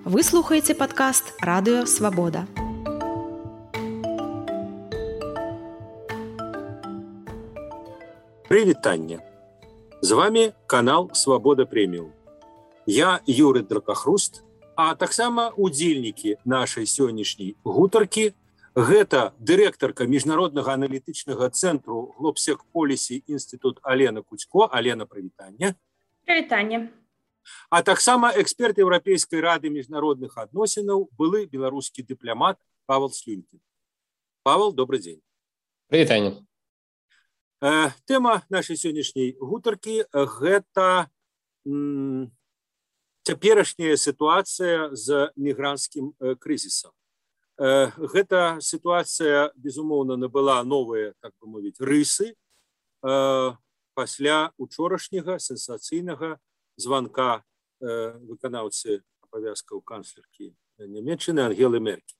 Вы слухаеце падкаст Радыё Свабода. Прывітанне! З вами канал Свабода Прэміум. Я Юры Дракахруст, а таксама удзельнікі нашай сённяшняй гутаркі. Гэта дырэктарка міжнароднага аналітычнага цэнтру Глобсек-Полісі інстытут Алена Куцько. Алена, прывітанне. Прывітанне. А таксама эксперт Еўрапейскай рады міжнародных адносінаў, былы беларускі дыпламат Павел Слюнькін. Павел, добрый дзень. Прывітанне. Тэма нашай сённяшняй гутаркі гэта цяперашняя сітуацыя з мігранцкім крызісам. Гэта сітуацыя, безумоўна, набыла новыя, так бы мовіць, рысы пасля учорашняга сенсацыйнага званка выканаўцы абавязкаў канцлеркі Нямецчыны Ангелы Меркель.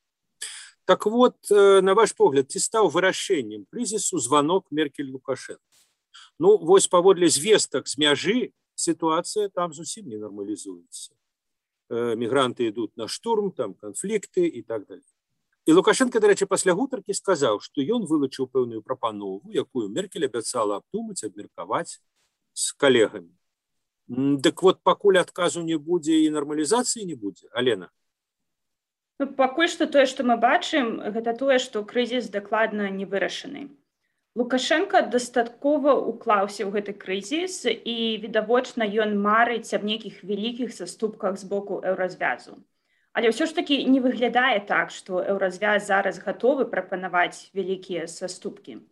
Так вот, на ваш погляд, ці стаў вырашэннем крызісу званок Меркель-Лукашенко? Ну, вось паводле звестак з мяжы сітуацыя там зусім не нармалізуецца. Мігранты ідуць на штурм, там канфлікты і так далее. І Лукашенко, дарэчы, пасля гутаркі сказаў, што ён вылучыў пэўную прапанову, якую Меркель абяцала абдумаць, абмеркаваць з калегамі. Дык вот пакуль адказу не будзе і нармалізацыі не будзе. Алена? Ну, пакуль што тое, што мы бачым, гэта тое, што крызіс дакладна не вырашаны. Лукашенко дастаткова уклаўся ў гэты крызіс і, відавочна, ён марыць аб нейкіх вялікіх саступках з боку еўразвязу. Але ўсё ж такі не выглядае так, што еўразвяз зараз гатовы прапанаваць вялікія саступкі.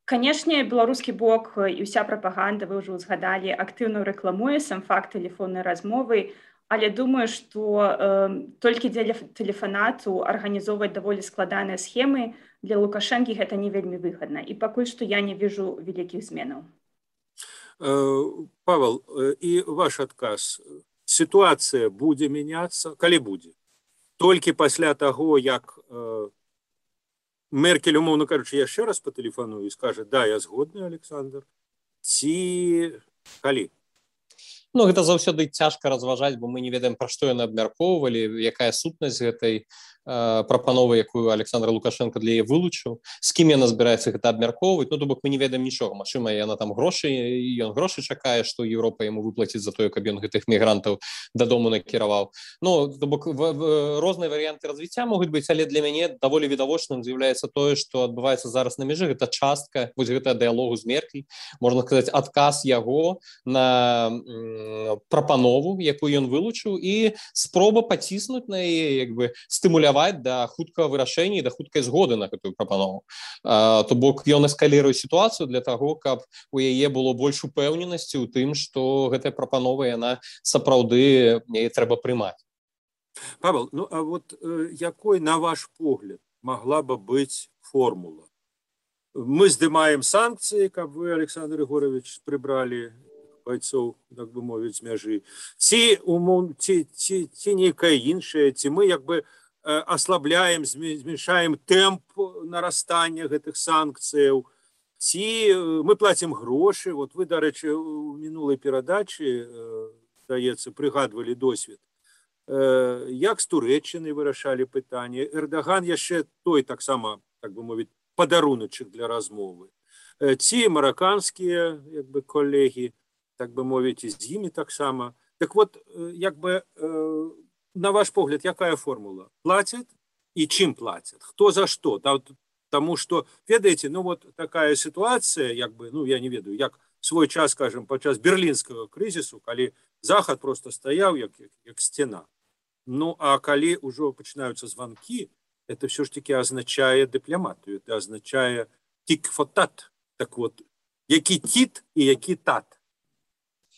Канешне, беларускі бок і ўся прапаганда, вы ўжо згадалі, актыўна рэкламуе сам факт тэлефоннай размовы, але думаю, што толькі дзеля тэлефанату арганізоўваць даволі складаныя схемы для Лукашэнкі гэта не вельмі выгадна. І пакуль што я не вижу вялікіх зменаў. Павел, і ваш адказ. Сітуацыя будзе мяняцца, калі будзе? Толькі пасля таго, як Меркель, умоўна кажучы, яшчэ раз па тэлефану і скажа: да, я згодны, Александр, ці калі? Ну, гэта заўсёды цяжка разважаць, бо мы не ведаем, пра што яны абмяркоўвалі, якая сутнасць гэтай прапановы, якую Александр Лукашенко для яе вылучыў, з кім яна збіраецца гэта абмяркоўваць. Ну, то бок мы не ведаем нічога. Магчыма, яна там грошы, ён грошы чакае, што Еўропа яму выплаціць за тое, каб ён гэтых мігрантаў дадому накіраваў. Ну, то бок розныя варыянты развіцця могуць быць, але для мяне даволі відавочным з'яўляецца тое, што адбываецца зараз на мяжы. Гэта частка вось гэтага дыялогу з Меркель, можна сказаць, адказ яго на прапанову, якую ён вылучыў, і спроба паціснуць на яе, як бы стымуляваць да хуткага вырашэння і да хуткай згоды на гэтую прапанову. То бок ён эскаліруе сітуацыю для таго, каб у яе было больш упэўненасці ў тым, што гэтая прапанова, яна сапраўды яе трэба прымаць. Павел, ну а вот якой, на ваш погляд, могла бы быць формула? Мы здымаем санкцыі, каб вы, Александр Егорович, прыбралі бойцоў, так бы мовіць, з мяжы. Ці нейкая іншая, ці мы як бы аслабляем, зменшаем тэмп нарастання гэтых санкцыяў, ці мы плацім грошы. Вот вы, дарэчы, у мінулай перадачы, здаецца, прыгадвалі досвед, як з Турэччынай вырашалі пытанне. Эрдаган яшчэ той таксама, так бы мовіць, падаруначак для размовы. Ці мараканскія, як бы, калегі, так бы мовіць, і з імі таксама. Так вот, як бы, на ваш погляд, якая формула? Платят и чим платят? Кто за что? Потому что, ведаете, ну вот такая ситуация, як бы, ну я не ведаю, як свой час, скажем, подчас берлинского кризису, калі Захад просто стоял, як стена. Ну, а калі уже начинаются звонки, это все ж таки означает дипломатию, это означает тик-фотат. Так вот, які тит и які тат?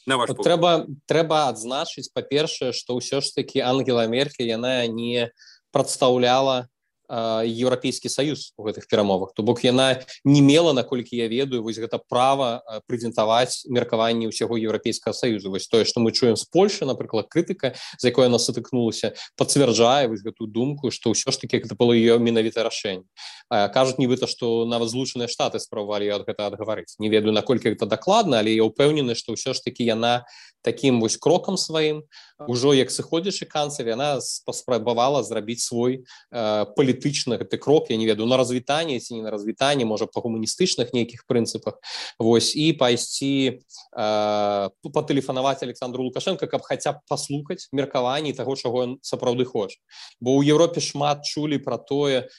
Трэба адзначыць, па-першае, што ўсё ж такі Ангела Меркель, яна не прадстаўляла Еўрапейскі саюз у гэтых перамовах. То бок яна не мела, наколькі я ведаю, вось гэта права прэзентаваць меркаванні ўсяго еўрапейскага саюзу. Вось тое, што мы чуем з Польшы, напрыклад, крытыка, з якой яна сутыкнулася, пацвярджае вось гэтую думку, што ўсё ж такі гэта было ее менавіта рашэнне. Кажуць нібыта, што нават Злучаныя Штаты спрабавалі ад гэта адгаварыць. Не ведаю, наколькі гэта дакладна, але я ўпэўнены, што ўсё ж такі яна такім вось крокам сваім, ужо як сыходзячы канцлер, яна паспрабавала зрабіць свой палітычны гэты крок, я не ведаю, на развітанне ці не на развітанне, можа па гуманістычных нейкіх прынцыпах, вось, і пайсці патэлефанаваць Александру Лукашенко, каб хаця б паслухаць меркаванні таго, чаго ён сапраўды хоча. Бо ў Еўропе шмат чулі пра тое,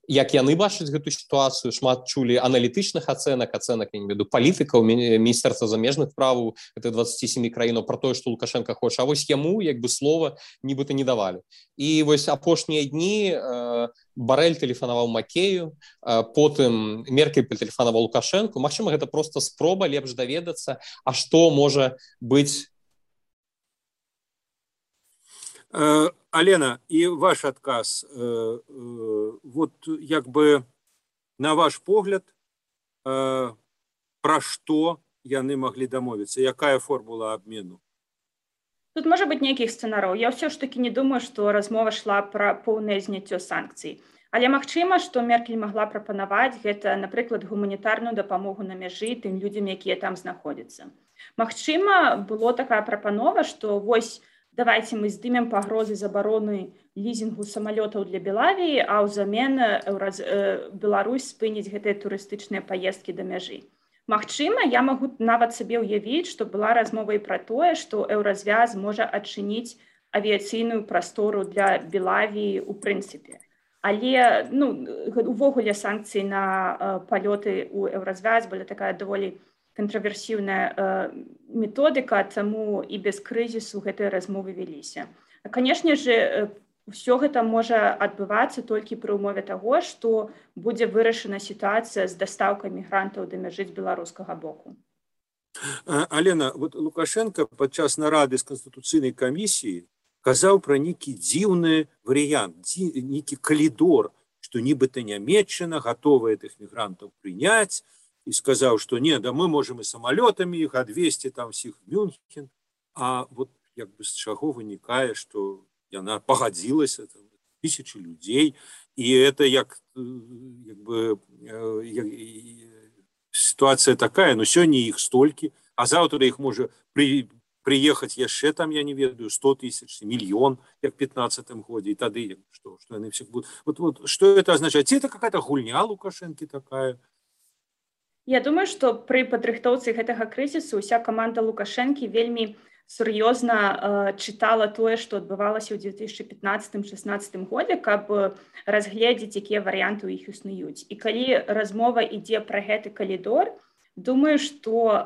як яны бачаць гэту сітуацыю, шмат чулі аналітычных ацэнак, я не веду, палітыкаў, міністэрства замежных справаў гэтых 27 краінаў пра тое, што Лукашенко хоча, а вось яму як бы слова нібыта не давалі. І вось апошнія дні Барэль тэлефанаваў Макею, потым Меркель тэлефанаваў Лукашенко. Магчыма, гэта проста спроба лепш даведацца, а што можа быць. Алена, і ваш адказ, вот як бы на ваш погляд, пра што яны маглі дамовіцца, якая формула абмену? Тут можа быць нейкіх сцэнараў. Я ўсё ж такі не думаю, што размова шла пра поўнае зняццё санкцый. Але магчыма, што Меркель магла прапанаваць гэта, напрыклад, гуманітарную дапамогу на мяжы тым людзям, якія там знаходзяцца. Магчыма, было такая прапанова, што вось давайте мы здымем пагрозы забароны лізінгу самалётаў для Белавіі, а ўзамен Беларусь спыніць гэтыя турыстычныя паездкі да мяжы. Магчыма, я магу нават сабе ўявіць, што была размова і пра тое, што Еўразвяз можа адчыніць авіяцыйную прастору для Белавіі ў прынцыпе. Але увогуле санкцыі на палёты ў Еўразвяз была такая даволі контраверсіўная методыка, таму і без крызісу гэтыя размовы вяліся. Канешне ж, ўсё гэта можа адбывацца толькі пры ўмове таго, што будзе вырашана сітуацыя з дастаўкай мігрантаў да мяжы з беларускага боку. Алена, вот Лукашенко падчас нарады з Канстытуцыйнай камісіі казаў пра нейкі дзіўны варыянт, нейкі калідор, што нібыта Нямецчына гатовая тых мігрантаў прыняць, і сказаў, што не, да мы можам і самалётамі іх адвезці там всіх в Мюнхен, а вот як бы з чаго вынікае, што яна пагадзілася, там, тысячи людзей, і это як бы сітуацыя такая, ну сёння іх столькі, а заўтра іх можа прыехаць яшчэ там, я не ведаю, 100 тысяч, мільён, як в 15-м годзе, і тады што яны всех будут. Вот что это означает? Ці это какая-то гульня Лукашэнкі такая? Я думаю, што пры падрыхтоўцы гэтага крызісу ўся каманда Лукашэнкі вельмі сур'ёзна чытала тое, што адбывалася ў 2015-16 годзе, каб разгледзець, якія варыянты ў іх існуюць. І калі размова ідзе пра гэты калідор, думаю, што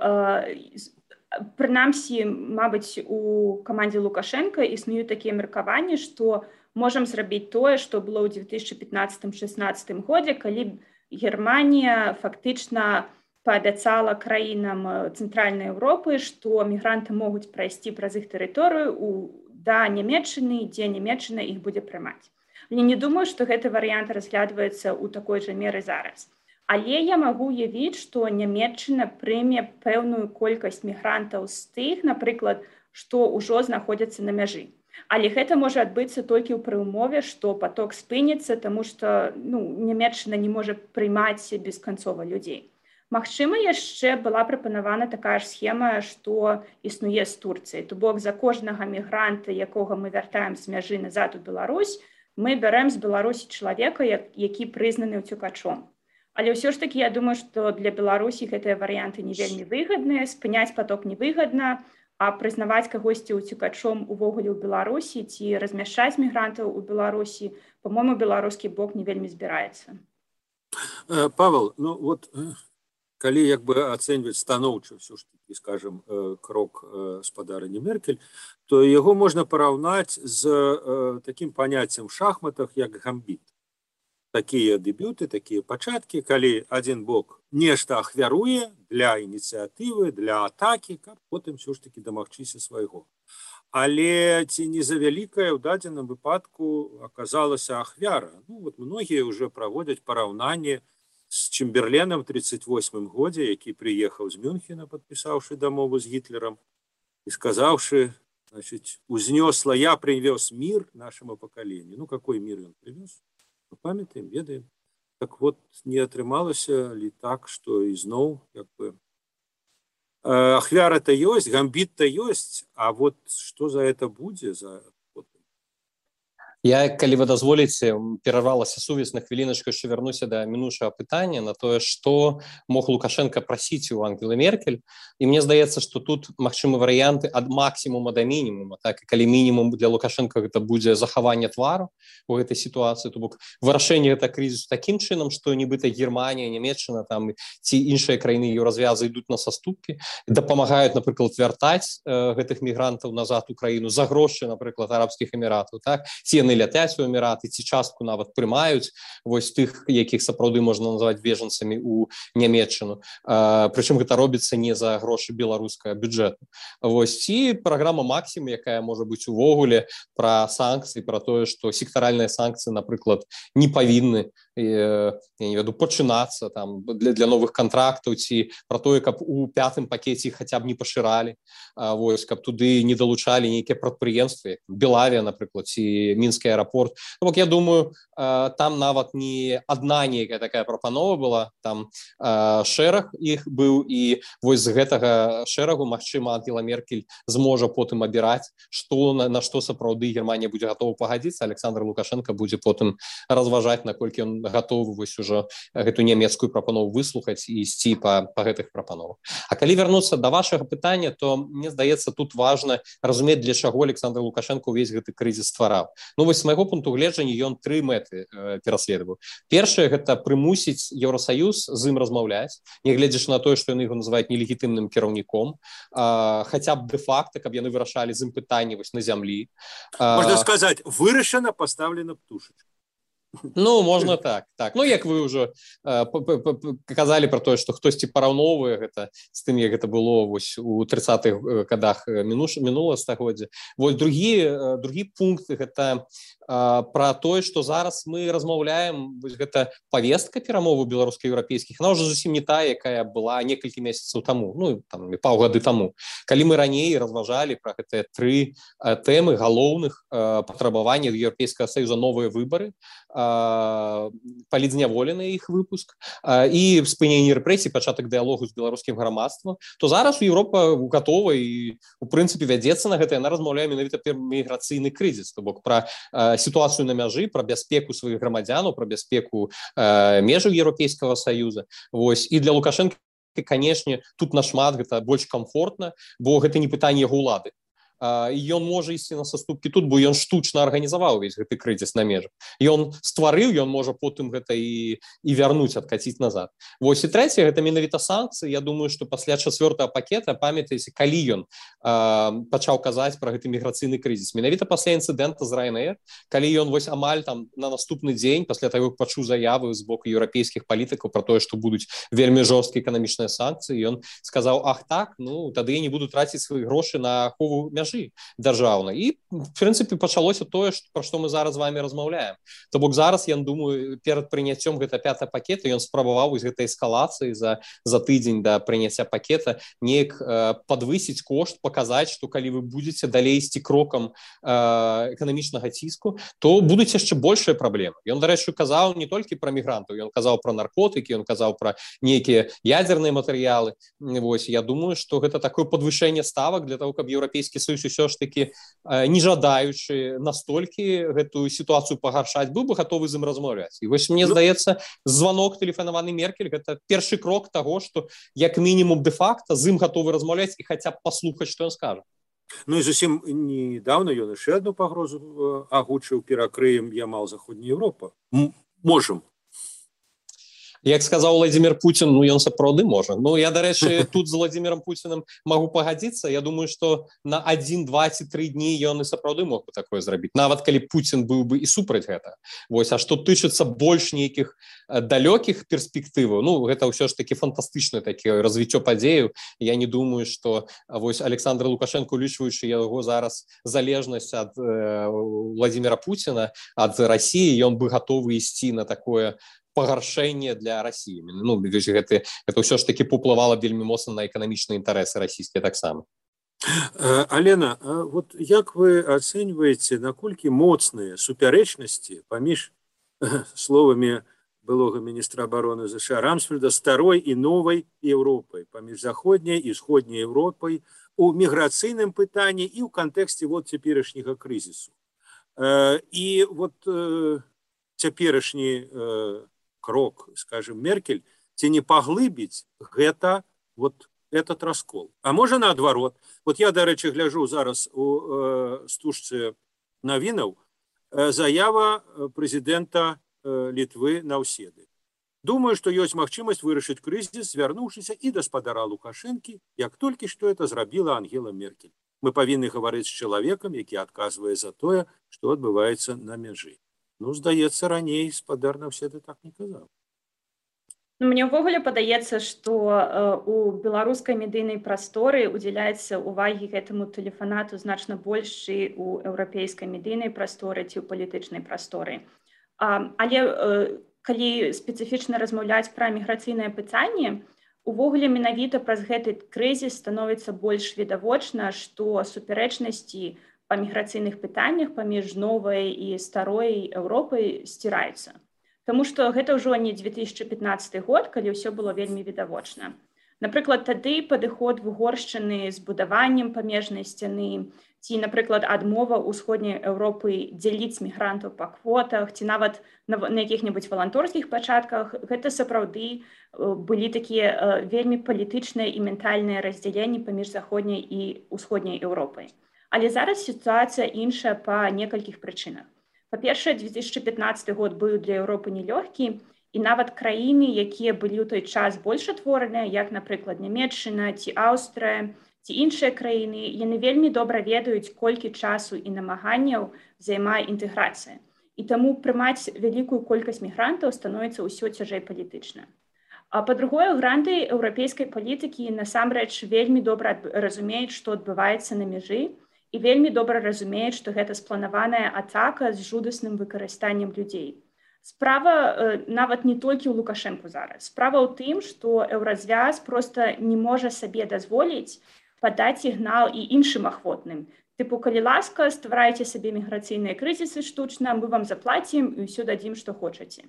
прынамсі, мабыць, у камандзе Лукашенка існуюць такія меркаванні, што можам зрабіць тое, што было ў 2015-16 годзе, калі Германія фактычна паабяцала краінам Цэнтральнай Еўропы, што мігранты могуць прайсці праз іх тэрыторыю да Нямецчыны, дзе Нямецчына іх будзе прымаць. Я не думаю, што гэты варыянт разглядваецца ў такой жа меры зараз. Але я магу уявіць, што Нямецчына прыме пэўную колькасць мігрантаў з тых, напрыклад, што ўжо знаходзяцца на мяжы. Але гэта можа адбыцца толькі ў пры ўмове, што паток спыніцца, таму што Нямецчына не можа прымаць бесканцова людзей. Магчыма, яшчэ была прапанавана такая ж схема, што існуе з Турцыяй. То бок за кожнага мігранта, якога мы вяртаем з мяжы назад у Беларусь, мы бярэм з Беларусі чалавека, які прызнаны ўцёкачом. Але ўсё ж такі я думаю, што для Беларусі гэтыя варыянты не вельмі выгадныя, спыняць паток невыгадна, а прызнаваць кагосьці ўцёкачом увогуле ў Беларусі ці размяшчаць мігрантаў у Беларусі, па-мойму, беларускі бок не вельмі збіраецца. Павел, ну вот калі як бы ацэньваць станоўча ўсё ж такі, скажем, крок спадарыні Меркель, то яго можна параўнаць з такім паняццем в шахматах, як гамбіт. такія дэбюты, такія пачаткі, калі адзін бок нешта ахвяруе для ініцыятывы, для атакі, каб потым ўсё ж такі дамагчыся свайго. Але ці не завялікая ў дадзеным выпадку аказалася ахвяра. Ну, вот многія ўжо праводзяць параўнанне з Чемберленам в 1938 годзе, які прыехаў з Мюнхена, падпісаўшы дамову з Гітлерам і сказаўшы, значит, узнесла, я привез мир нашему поколению. Ну, какой мир он привез? Мы памятаем, ведаем. Так вот, не атрымалася ли так, что изноў, как бы, ахвяра-то ёсць, гамбит-то ёсць, а вот что за это будзе? Я, калі вы дазволіце, перарвалася сувязь на хвіліначку, яшчэ вярнуся да мінуўшага пытання на тое, што мог Лукашенко прасіць у Ангелы Меркель. І мне здаецца, што тут магчымы варыянты ад максімума да мінімума. Так, і калі мінімум для Лукашенко гэта будзе захаванне твару у гэтай сітуацыі, то бок вырашэнне гэта крызісу такім чынам, што нібыта Германія, Нямецчына там ці іншыя краіны еўразвязы ідуць на саступкі, дапамагаюць, напрыклад, вяртаць гэтых мігрантаў назад у краіну за грошы, напрыклад, арабскіх эміратаў, так, ці яны ляцяць у эміраты, ці частку нават прымаюць вось тых, якіх сапраўды можна называць бежанцамі у Нямецчыну. Прычым гэта робіцца не за грошы беларускага бюджэту. Вось ці праграма «Максім», якая можа быць увогуле пра санкцыі, пра тое, што сектаральныя санкцыі, напрыклад, не павінны я не веду, пачынацца там для новых контрактаў, ці пра тое, каб у 5-м пакеце хаця б не пашыралі, вось, каб туды не далучалі нейкія прадпрыемствы, Белавія, напрыклад, ці Мінскі аэрапорт. Ну, бок, я думаю, там нават не адна нейкая такая прапанова была, там шэраг іх быў, і вось з гэтага шэрагу, магчыма, Ангела Меркель зможа потым абіраць, што на што сапраўды Германія будзе гатова пагадзіцца, Александр Лукашенко будзе потым разважаць, наколькі ён гатовы вось ужо гэту нямецкую прапанову выслухаць і ісці па гэтых прапановах. А калі вярнуцца да вашага пытання, то мне здаецца, тут важна разумець, для чаго Александр Лукашенко увесь гэты крызіс ствараў. Ну вось з майго пункту гледжання ён 3 мэты пераследаваў. Першае, гэта прымусіць Еўрасаюз з ім размаўляць, нягледзячы на тое, што яны яго называюць нелегітымным кіраўніком, хаця б дэ-факта, каб яны вырашалі з ім пытанні вось на зямлі. Можна сказаць, вырашана, пастаўлена птушачка. Ну, можна так. Ну, як вы ўжо казалі пра тое, што хтосьці параўноўвае гэта з тым, як гэта было вось у 30-х годах мінулага стагоддзя. Вось другі пункт гэта пра тое, што зараз мы размаўляем, вось гэта павестка перамоваў беларуска-еўрапейскіх, она ўжо зусім не тая, якая была некалькі месяцаў таму, ну, там, паўгады таму. Калі мы раней разважалі пра гэтыя 3 тэмы галоўных патрабавання Еўрапейскага саюза, новыя выбары, палізняволены іх выпуск і спыненне рэпрэсій, пачатак дыялогу з беларускім грамадствам, то зараз Еўропа гатова і, у прынцыпе, вядзецца на гэта, яна размаўляе менавіта пра міграцыйны крызіс, то бок пра сітуацыю на мяжы, пра бяспеку сваіх грамадзянаў, пра бяспеку межаў Еўрапейскага саюза. Вось. І для Лукашенка, канешне, тут нашмат гэта больш комфортна, бо гэта не пытанне яго ўлады. І ён можа ісці на саступкі тут, бо ён штучна арганізаваў увесь гэты крызіс на межах. Ён стварыў, ён можа потым гэта і вярнуць, адкаціць назад. Вось і трэцяе, гэта менавіта санкцыі. Я думаю, што пасля 4-го пакета, памятаеце, калі ён пачаў казаць пра гэты міграцыйны крызіс, менавіта пасля інцыдэнта з Ryanair, калі ён вось амаль там на наступны дзень, пасля таго, як пачуў заявы з боку еўрапейскіх палітыкаў пра тое, што будуць вельмі жорсткія эканамічныя санкцыі, ён сказаў: ах так, ну тады я не буду траціць свае грошы на ахову мяжы дзяржаўна. І, в прынцыпе, пачалося тое, пра што мы зараз з вами размаўляем. То бок зараз, я думаю, перад прыняццём гэта 5-го пакета ён спрабаваў з гэтай эскалацыі за тыдзень да прыняцця пакета неяк падвысіць кошт, паказаць, што калі вы будзеце далей ісці крокам эканамічнага ціску, то будуць яшчэ большыя праблемы. Ён, дарэчы, казаў не толькі пра мігрантаў, ён казаў пра наркотыкі, ён казаў пра нейкія ядзерныя матэрыялы. Вось, я думаю, што гэта такое падвышэнне ставак для того, каб Еўрапейскі саюз усё ж такі, не жадаючы настолькі гэтую сітуацыю пагаршаць, быў бы гатовы з ім размаўляць. І вось мне здаецца, званок тэлефанаваны Меркель гэта першы крок таго, што як мінімум дэ-факта з ім гатовы размаўляць і хаця б паслухаць, што ён скажа. Ну і зусім недавно ён яшчэ адну пагрозу агучыў: перакрыем Ямал Заходняя Еўропа. Можам. Як сказаў Владимир Путин, ну ён сапраўды можа. Ну я, дарэчы, тут з Владимиром Путиным могу пагадзіцца. Я думаю, что на 1, 2 ці 3 дні ён і сапраўды мог бы такое зрабіць. Нават калі Путин быў бы і супраць гэта. Вось, а што тычыцца больш нейкіх далёкіх перспектываў, ну гэта ўсё ж таки фантастычнае такі развіццё падзеяў. Я не думаю, что вось Александр Лукашенко, улічваючы яго зараз залежнасць ад Владимира Путина, ад России, ён бы гатовы ісці на такое пагаршэнне для России. Ну, гэта ўсё ж таки паўплывала вельмі моцна на эканамічныя інтарэсы расійскія таксама. Алена, вот як вы ацэньваеце, наколькі моцныя супярэчнасці паміж словамі былога міністра абароны США Рамсфельда старой і новай Еўропай, паміж заходняй і сходняй Еўропай у міграцыйным пытанні і ў кантэксце вот цяперашняга крызісу. І вот цяперашні крок, скажем, Меркель, ці не паглыбіць гэта вот этот раскол. А можа наадварот. Вот я, дарэчы, гляжу зараз у стужцы навінаў заява прэзідэнта Літвы Наўседы. Думаю, што ёсць магчымасць вырашыць крызіс, звярнуўшыся і да спадара Лукашэнкі, як толькі што это зрабіла Ангела Меркель. Мы павінны гаварыць з чалавекам, які адказвае за тое, што адбываецца на мяжы. Ну, здаецца, раней спадар Наўседы так не казаў. Мне ўвогуле падаецца, што у беларускай медыйнай прасторы удзяляецца ўвагі гэтаму тэлефанату значна больш і ў еўрапейскай медыйнай прасторы ці ў палітычнай прасторы. Але калі спецыфічна размаўляць пра міграцыйнае пытанне, увогуле менавіта праз гэты крызіс становіцца больш відавочна, што супярэчнасці па міграцыйных пытаннях паміж новай і старой Еўропай сціраюцца. Таму што гэта ўжо не 2015 год, калі ўсё было вельмі відавочна. Напрыклад, тады падыход Угоршчыны з будаваннем памежнай сцяны, ці, напрыклад, адмова ўсходняй Еўропы дзяліць мігрантаў па квотах, ці нават на якіх-небудзь валанторскіх пачатках, гэта сапраўды былі такія вельмі палітычныя і ментальныя раздзяленні паміж заходняй і ўсходняй Еўропай. Але зараз сітуацыя іншая па некалькіх прычынах. Па-першае, 2015 год быў для Еўропы нелёгкі, і нават краіны, якія былі ў той час больш адтвораныя, як, напрыклад, Нямецчына ці Аўстрыя, ці іншыя краіны, яны вельмі добра ведаюць, колькі часу і намаганняў займае інтэграцыя. І таму прымаць вялікую колькасць мігрантаў становіцца ўсё цяжэй палітычна. А па-другое, гранты еўрапейскай палітыкі насамрэч вельмі добра разумеюць, што адбываецца на мяжы, і вельмі добра разумеюць, што гэта спланаваная атака з жудасным выкарыстаннем людзей. Справа нават не толькі ў Лукашэнку зараз. Справа ў тым, што еўразвяз проста не можа сабе дазволіць падаць сігнал і іншым ахвотным. Тыпу, калі ласка, стварайце сабе міграцыйныя крызісы штучна, мы вам заплацім і ўсё дадзім, што хочаце.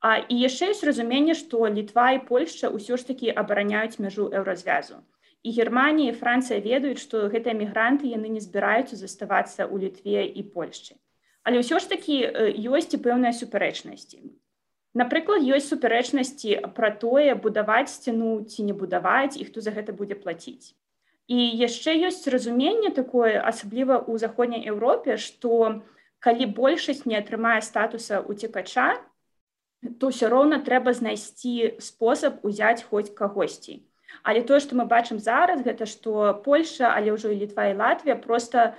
І яшчэ ёсць разуменне, што Літва і Польшча ўсё ж такі абараняюць мяжу еўразвязу. І Германія і Францыя ведаюць, што гэтыя мігранты яны не збіраюцца заставацца ў Літве і Польшчы. Але ўсё ж такі ёсць і пэўныя супярэчнасці. Напрыклад, ёсць супярэчнасці пра тое, будаваць сцяну ці не будаваць, і хто за гэта будзе плаціць. І яшчэ ёсць разуменне такое, асабліва ў заходняй Еўропе, што калі большасць не атрымае статуса уцекача, то ўсё роўна трэба знайсці спосаб узяць хоць кагосьці. Але тое, што мы бачым зараз, гэта што Польшча, але ўжо і Літва і Латвія проста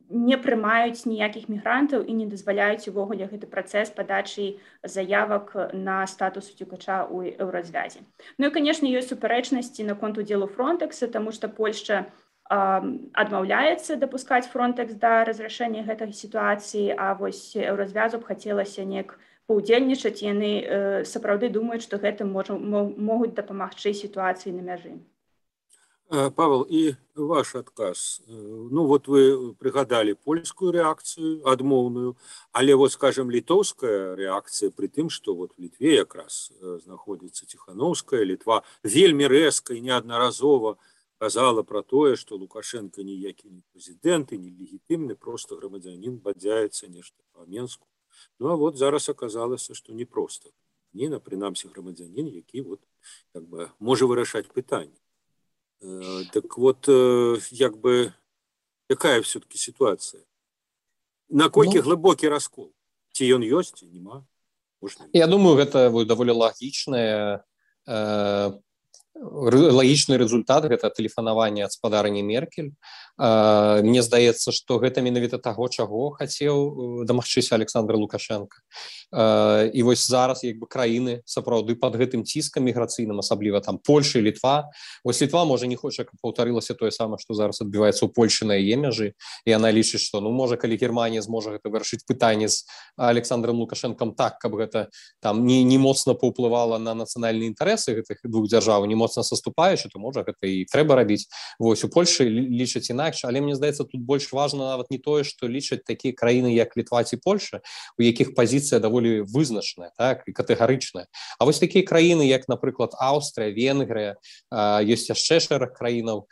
не прымаюць ніякіх мігрантаў і не дазваляюць увогуле гэты працэс падачы заявак на статус уцекача ў еўразвязе. Ну і, канешне, ёсць супярэчнасці наконт удзелу Фронтэкса, таму што Польшча адмаўляецца дапускаць Фронтэкс да разрашэння гэтай сітуацыі, а вось еўразвязу б хацелася неяк паўдзельнічаць, яны сапраўды думаюць, што гэта могуць дапамагчы сітуацыі на мяжы. Павел, і ваш адказ. Ну, вот вы прыгадалі польскую рэакцыю, адмоўную, але, вот, скажем, літоўская рэакцыя пры тым, што вот в Літве якраз знаходзіцца Ціхановская, Літва вельмі рэзка і неаднаразова казала пра тое, што Лукашенко ніякі не прэзідэнт і не легітымны, проста грамадзянін бадзяецца нешта па Менску. Ну, а вот зараз аказалася, што не проста. Не, прынамсі, грамадзянін, які вот, как бы, можа вырашаць пытанне. Так вот, як бы, якая все-таки ситуация? Наколькі глыбокі раскол? Ці ён ёсць, ці нема? Я думаю, гэта даволі лагічны результат, гэта тэлефанаванне ад спадарні Меркель. Мне здаецца, што гэта менавіта таго, чаго хацеў дамагчыся Александр Лукашенко. І вось зараз як бы краіны сапраўды пад гэтым ціскам міграцыйным, асабліва там Польша і Літва. Вось Літва можа не хоча, каб паўтарылася тое самае, што зараз адбываецца ў Польшы на яе мяжы, і яна лічыць, што можа, калі Германія зможа гэта вырашыць пытанне з Александром Лукашенком так, каб гэта там не моцна паўплывала на нацыянальныя інтарэсы гэтых двух дзяржаў, не моцна саступаючы, то можа гэта і трэба рабіць. Вось у Польшы лічаць інакш, але мне здаецца, тут больш важна нават не тое, што лічаць такія краіны, як Літва ці Польша, у якіх пазіцыя даволі вызначная, так, і катэгарычная. А вось такія краіны, як, напрыклад, Аўстрыя, Венгрыя, ёсць яшчэ шэраг краінаў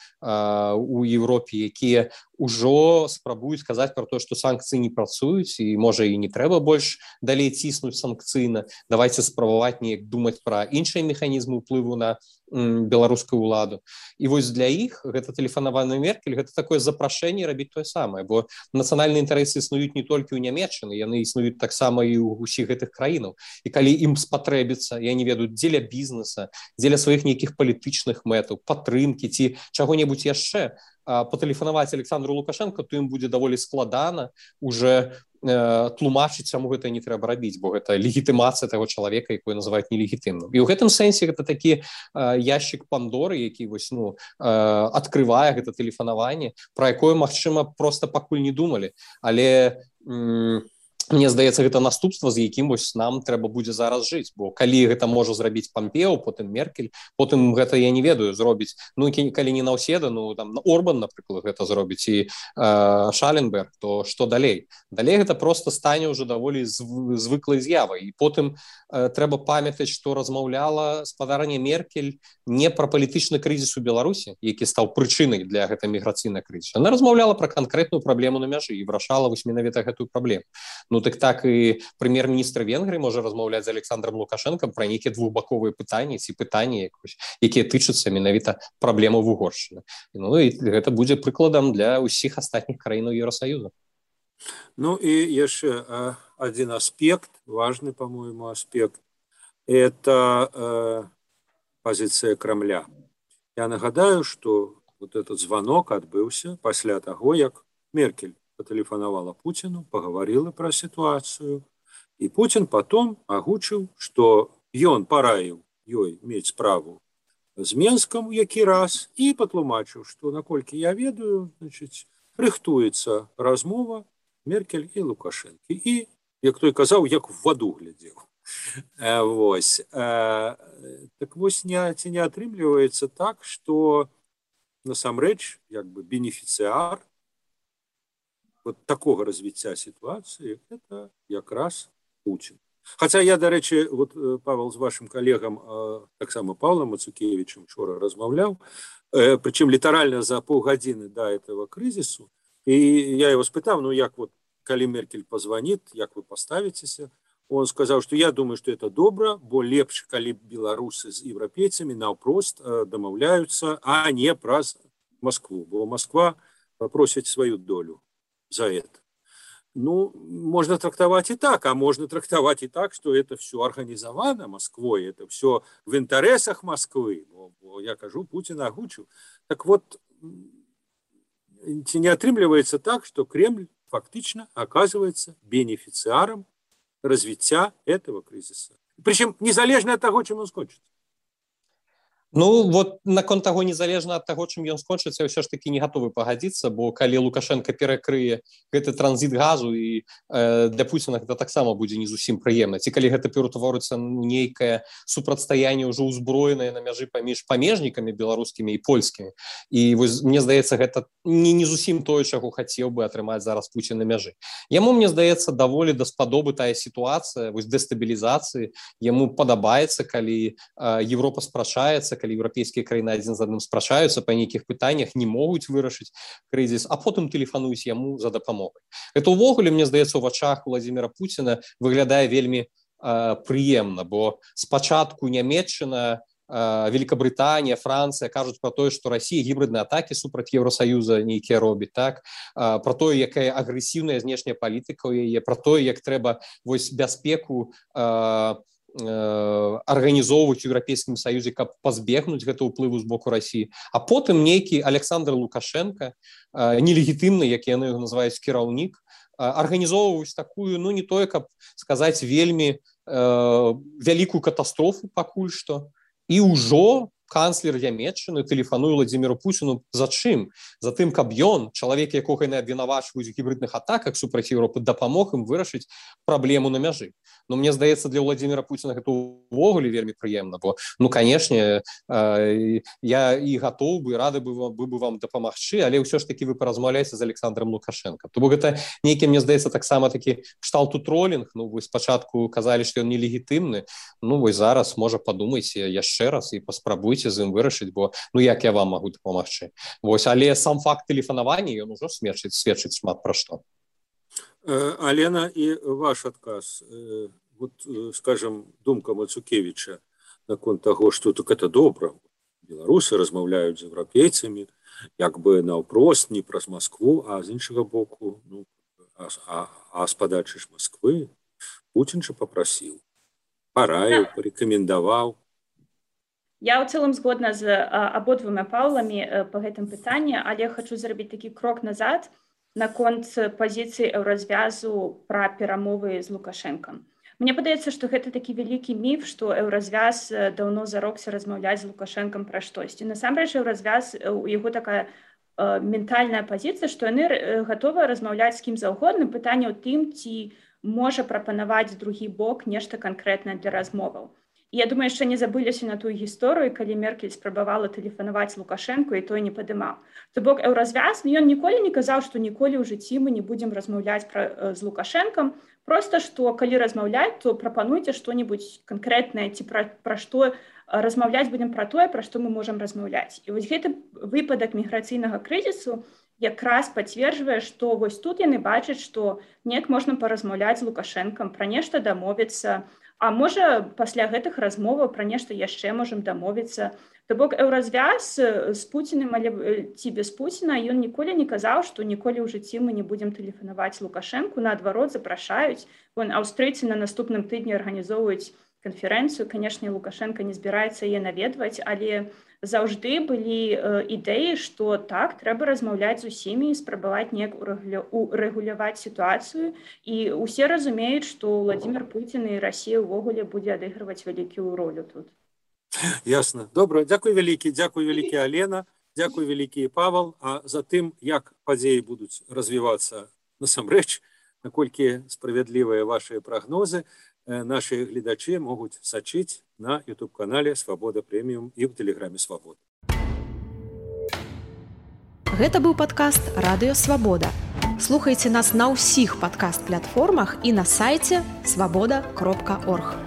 у Еўропе, якія ўжо спрабуюць казаць пра тое, што санкцыі не працуюць і, можа, і не трэба больш далей ціснуць санкцыйна. Давайце спрабаваць неяк думаць пра іншыя механізмы ўплыву на беларускую ўладу. І вось для іх гэта тэлефанаванне Меркель, гэта такое запрашэнне рабіць тое самае, бо нацыянальныя інтарэсы існуюць не толькі ў Нямецчыны, яны існуюць таксама і ў усіх гэтых краінаў. І калі ім спатрэбіцца, я не ведаю, дзеля бізнеса, дзеля сваіх нейкіх палітычных мэтаў, падтрымкі ці чаго-небудзь яшчэ, патэлефанаваць Александру Лукашенко, то ім будзе даволі складана уже тлумачыць, чаму гэта не трэба рабіць, бо гэта легітымацыя таго чалавека, якой называюць нелегітымным. І ў гэтым сэнсе гэта такі яшчык Пандоры, які вось, адкрывае гэта тэлефанаванне, пра якое, магчыма, проста пакуль не думалі. Але мне здаецца, гэта наступства, з якім вось нам трэба будзе зараз жыць, бо калі гэта можа зрабіць Пампео, потым Меркель, потым гэта, я не ведаю, зробіць, калі не Наўседа, там Орбан, напрыклад, гэта зробіць, і Шаленберг, то што далей? Далей гэта проста стане ўжо даволі звыклай з'явай, і потым трэба памятаць, што размаўляла спадарня Меркель не пра палітычны крызіс у Беларусі, які стаў прычынай для гэтай міграцыйнай крызісу. Яна размаўляла пра канкрэтную праблему на мяжы і вырашала вось менавіта гэтую праблему. Так і прэм'ер-міністр Венгрыі можа размаўляць з Александром Лукашенком пра нейкія двухбаковыя пытанні ці пытанні, якія тычацца менавіта праблемаў Угоршчыны. І гэта будзе прыкладам для ўсіх астатніх краінаў Еўрасаюза. І яшчэ один аспект, важный, по-моему, аспект, это позиция Кремля. Я нагадаю, что вот этот звонок отбылся пасля таго, як Меркель патэлефанавала Путину, поговорила про ситуацию, и Путин потом агучыў, что ён параіў ёй мець справу з Менском які раз, и патлумачыў, что, наколькі я ведаю, рыхтуецца размова Меркель и Лукашенко. И, як той казаў, як в ваду глядзеў. Вось. Так вось ці не атрымліваецца так, что насамрэч як бы бенефіцыар вот такого развіцця ситуации это якраз Путин. Хотя я, до речі, вот, Павел, з вашим колегам, таксама Павлом Мацукевичем вчора размаўляў, причем літаральна за паўгадзіны до этого кризису, и я его спытаў, як вот, калі Меркель позвонит, як вы поставитеся, он сказал, что я думаю, что это добра, бо лепш, калі беларусы з еўрапейцамі наўпрост дамаўляюцца, а не праз Москву, бо Москва попросить свою долю за это. Можно трактовать и так, а можно трактовать и так, что это все организовано Москвой, это все в интересах Москвы. Я кажу, Путин агучил. Так вот, не атрымліваецца так, что Кремль фактично оказывается бенефициаром развития этого кризиса. Причем незалежно от того, чем он скончится. Вот наконт таго, незалежна ад таго, чым ён скончыцца, я ўсё ж такі не гатовы пагадзіцца, бо калі Лукашенко перакрые гэты транзіт газу, і для Пуціна гэта таксама будзе не зусім прыемна. Ці калі гэта ператворыцца нейкае супрацьстаянне ўжо ўзброенае на мяжы паміж памежнікамі беларускімі і польскімі. І вось, мне здаецца, гэта не зусім тое, чаго хацеў бы атрымаць зараз Пуцін на мяжы. Яму, мне здаецца, даволі даспадобы тая сітуацыя, вось дэстабілізацыі. Яму падабаецца, калі Европа спрачаецца, калі еўрапейскія краіны адзін з адным спрачаюцца па нейкіх пытаннях, не могуць вырашыць крызіс, а потым тэлефануюць яму за дапамогай. Гэта ўвогуле, мне здаецца, у вачах Владзіміра Пуціна выглядае вельмі прыемна, бо спачатку Нямецчына Великабрытанія, Францыя кажуць про тое, што Расія гібридныя атакі супраць Еўросаюза нейкія робіць, так? Про тое, якая агрэсіўная знешняя палітыка ў яе, про тое, як трэба вось бяспеку арганізоўваць у Еўрапейскім Саюзе, каб пазбегнуць гэта ўплыву з боку Расіі. А потым нейкі Александр Лукашенко, нелегітымны, як яны яго называюць, кіраўнік, арганізоўваюць такую, ну не тое, каб сказаць, вельмі вялікую катастрофу пакуль што. І ўжо канцлер Нямецчыны тэлефануе Владзіміру Пуціну за чым? За тым, каб ён, чалавек, якога яны абвінавачваюць у гібридных атаках супраць Еўропы, дапамог ім вырашыць праблему на мяжы. Но мне здаецца, для Владзіміра Пуціна гэта ўвогуле вельмі прыемна, бо, ну, канешне, я і гатоў бы, рады бы вам дапамагчы, але ўсё ж такі вы паразмаўляеце з Александром Лукашенко. То бок гэта нейкі, мне здаецца, таксама такі кшталту тролінг, ну, вось спачатку казалі, што ён нелегітымны, ну, вось зараз, можа, падумайце яшчэ раз і паспрабуйце з ім вырашыць, бо, ну, як я вам магу дапамагчы. Вось, але сам факт тэлефанавання, ён ужо сведчыць шмат пра што. Алена, и ваш отказ, вот, скажем, думка Мацукевича наконт того, что так это добра. Беларусы размаўляюць з еўрапейцамі, як бы наўпрост, не праз Москву, а з іншага боку, ну, з падачы ж Москвы, Путін же попросил, параіў, порекомендовал. Я ў цэлым згодна з абодвума Паўламі па гэтым пытанні, але хочу зрабіць такі крок назад наконт пазіцыі еўразвязу пра перамовы з Лукашэнкам. Мне падаецца, што гэта такі вялікі міф, што еўразвяз даўно зарокся размаўляць з Лукашэнкам пра штосьці. Насамрэч, еўразвяз, у яго такая ментальная пазіцыя, што яны гатовыя размаўляць з кім заўгодна. Пытанне ў тым, ці можа прапанаваць другі бок нешта канкрэтнае для размоваў. Я думаю, яшчэ не забыліся на тую гісторыю, калі Меркель спрабавала тэлефанаваць Лукашэнку, і той не падымаў. То бок еўразвяз, ён ніколі не казаў, што ніколі ў жыцці мы не будзем размаўляць з Лукашэнкам, проста што калі размаўляць, то прапануйце што-небудзь канкрэтнае, ці пра што размаўляць будзем пра тое, пра што мы можам размаўляць. І вось гэты выпадак міграцыйнага крызісу якраз пацверджвае, што вось тут яны бачаць, што неяк можна паразмаўляць з Лукашэнкам, пра нешта дамовіцца, а можа, пасля гэтых размоваў пра нешта яшчэ можам дамовіцца. То бок еўразвяз з Пуціным, але ці без Пуціна, ён ніколі не казаў, што ніколі ў жыцці мы не будзем тэлефанаваць Лукашэнку, наадварот, запрашаюць. Вон аўстрыйцы на наступным тыдні арганізоўваюць канферэнцыю. Канешне, Лукашенко не збіраецца яе наведваць, але заўжды былі ідэі, што так, трэба размаўляць з усімі і спрабаваць неяк урэгуляваць сітуацыю. І ўсе разумеюць, што Владзімір Пуцін і Расія ўвогуле будзе адыгрываць вялікую ролю тут. Ясно. Добра. Дзякуй вялікі, Алена, дзякуй вялікі, Павал. А за тым, як падзеі будуць развівацца насамрэч, наколькі справядлівыя вашыя прагнозы, наши гледачи могут сачыць на YouTube-канале «Свобода Премиум» и в Телеграме «Свобода». Гэта быў падкаст «Радыё Свабода». Слухайце нас на ўсіх падкаст-платформах і на сайце свабода.орг.